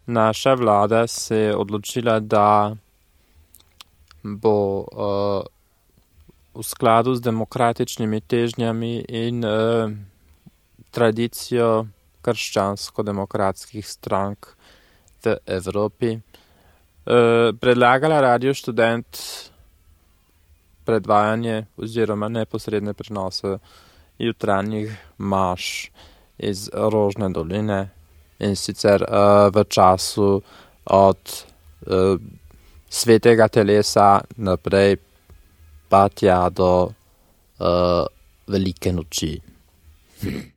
naša vlada se je odločila, da bo v skladu z demokratičnimi težnjami in tradicijo krščansko-demokratskih strank v Evropi predlagala Radio Študent predvajanje oziroma neposredne prenose jutranjih maš iz Rožne doline, in sicer v času od svetega telesa naprej pa tja do velike noči.